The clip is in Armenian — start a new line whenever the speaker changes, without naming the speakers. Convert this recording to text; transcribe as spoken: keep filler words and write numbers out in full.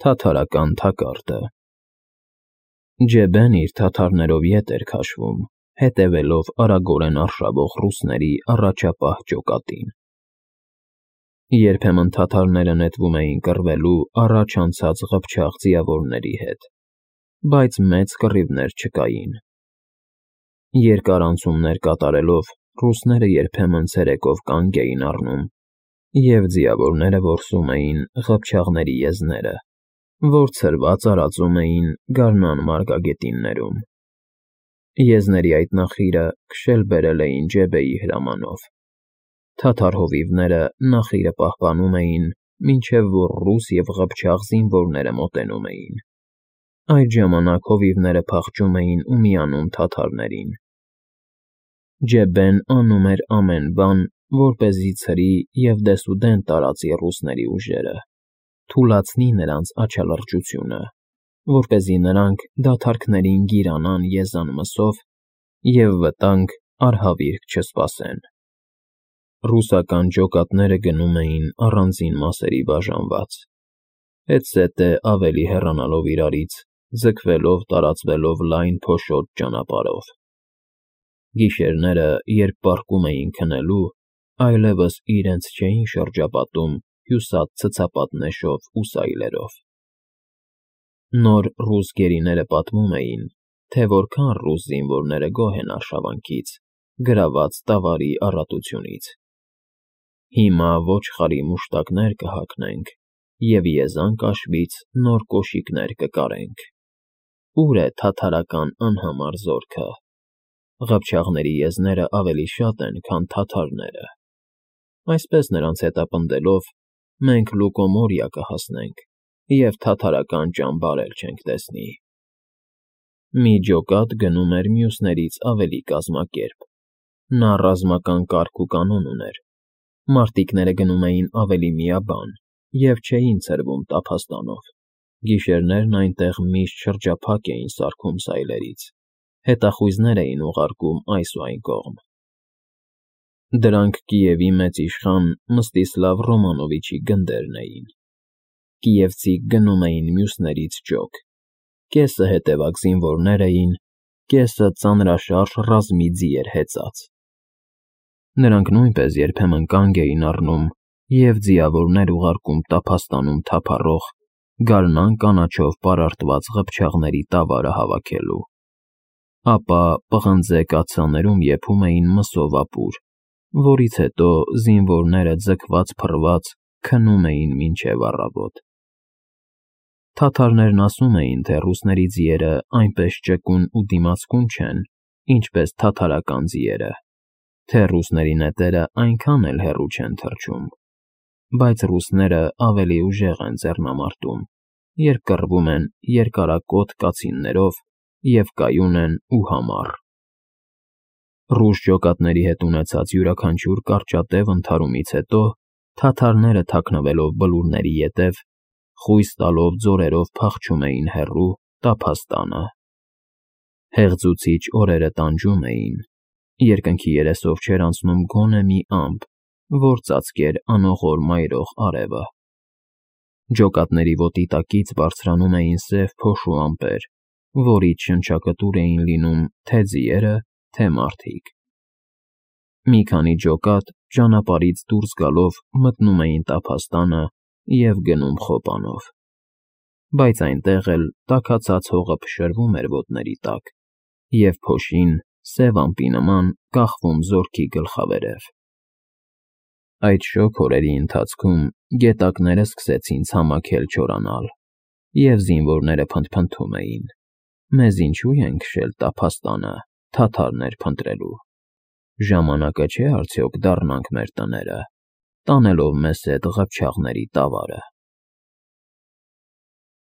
Թաթարական թակարդը Ջեբեն իր թաթարներով ետ էր քաշվում, հետևելով արագորեն արշավող ռուսների առաջապահ ջոկատին։ Երբեմն թաթարները նետվում էին կռվելու առաջ անցած ղփչաղ ձիավորների հետ, բայց մեծ կռիվներ չկային։ Երկար անցումներ կատարելով ռուսները երբեմն ցերեկով կանգ էին առնում, և ձիավորները որսում էին ղփչաղների եզները, որ ցրված արածում էին գարնան մարգագետիններում։ Եզների այդ նախիրը քշել բերել էին Ջեբեի հրամանով։ Թաթար հովիվները նախիրը պահպանում էին, մինչև որ ռուս և ղփչաղ զինվորները մոտենում էին։ Այդ ժամանակ հովիվները փախչում էին ու միանում թաթարներին։ Ջեբեն անում էր ամեն բան, որպեսզի ցրի և դեսուդեն տարածի ռուսների ուժերը, թուլացնի նրանց աչալրջությունը, որպեսզի նրանք դադարքներին գիրանան եզան մսով և վտանգ արհավիրք չսպասեն։ Ռուսական ջոկատները գնում էին առանձին մասերի բաժանված, հետզհետե ավելի հեռանալով իրարից, ձգվելով տարածվելով լայն փոշոտ ճանապարհով։ Գիշերները, երբ պառկում էին քնելու, այլևս իրենց չէին շրջապատում հյուսած ցցապատ նեշով ու սայլերով։ Նոր ռուս գերիները պատմում էին, թե որքան ռուս զինվորները գոհ են արշավանքից, գրաված տավարի առատությունից։ Հիմա ոչխարի մուշտակներ կհագնենք և եզան կաշվից նոր կոշիկներ կկարենք։ Ո՞ւր է թաթարական անհամար զորքը։ Ղփչաղների եզները ավելի շատ են, քան թաթարները։ Այսպես նրանց հետապնդելով՝ մենք Լուկոմորիա կհասնենք և թաթարական ճամբար էլ չենք տեսնի։ Մի ջոկատ գնում էր մյուսներից ավելի կազմակերպ։ Նա ռազմական կարգ ու կանոն ուներ։ Մարտիկները գնում էին ավելի միաբան և չէին ցրվում տափաստանով։ Գիշերներն այնտեղ միշտ շրջափակ էին սարքում սայլերից, հետախույզներ էին ուղարկում այս ու այն կողմ։ Դրանք Կիևի մեծ իշխան Մստիսլավ Ռոմանովիչի գնդերն էին։ Կիևցիք գնում էին մյուսներից ջոկ, կեսը հետևակ զինվորներ էին, կեսը ծանրաշարժ ռազմի ձիեր հեծած։ Նրանք նույնպես երբեմն կանգ էին առնում և ձիավորներ ուղարկում տափաստանում թափառող, գարնան կանաչով պարարտված ղփչաղների տավարը հավաքելու։ Ապա պղնձե կաթսաներում եփում էին մսով ապուր, որից հետո զինվորները ձգված֊փռված քնում էին մինչև առավոտ։ Թաթարներն ասում էին, թե ռուսների ձիերը այնպես ճկուն ու դիմացկուն չեն, ինչպես թաթարական ձիերը, թե ռուսների նետերը այնքան էլ հեռու չեն թռչում, բայց ռուսները ավելի ուժեղ են ձեռնամարտում, երբ կռվում են երկարակոթ կացիններով և կայուն են ու համառ։ Ռուս ջոկատների հետ ունեցած յուրաքանչյուր կարճատև ընդհարումից հետո թաթարները թաքնվելով բլուրների ետև, խույս տալով ձորերով փախչում էին հեռու, տափաստանը։ Հեղձուցիչ օրերը տանջում էին, երկնքի երեսով չէր անցնում գոնե մի ամպ, որ ծածկեր անողոր մայրող արևը։ Ջոկատների ոտի տակից բարձրանում էին սև փոշու ամպեր, որից շնչակտուր էին լինում թե ձիերը, թե մարդիկ։ Մի քանի ջոկատ ճանապարհից դուրս գալով մտնում էին տափաստանը և գնում խոպանով։ Բայց այնտեղ էլ տաքացած հողը փշրվում էր ոտների տակ, և փոշին, սև ամպի նման, կախվում զորքի գլխավերև։ Այդ շոգ օրերի ընթացքում գետակները սկսեցին ցամաքել չորանալ, և զինվորները փնթփնթում էին. «Մեզ ինչո՞ւ են քշել տափաստանը թաթարներ փնտրելու։ Ժամանակը չէ՞ արդյոք դառնանք մեր տները, տանելով մեզ հետ ղփչաղների տավարը»։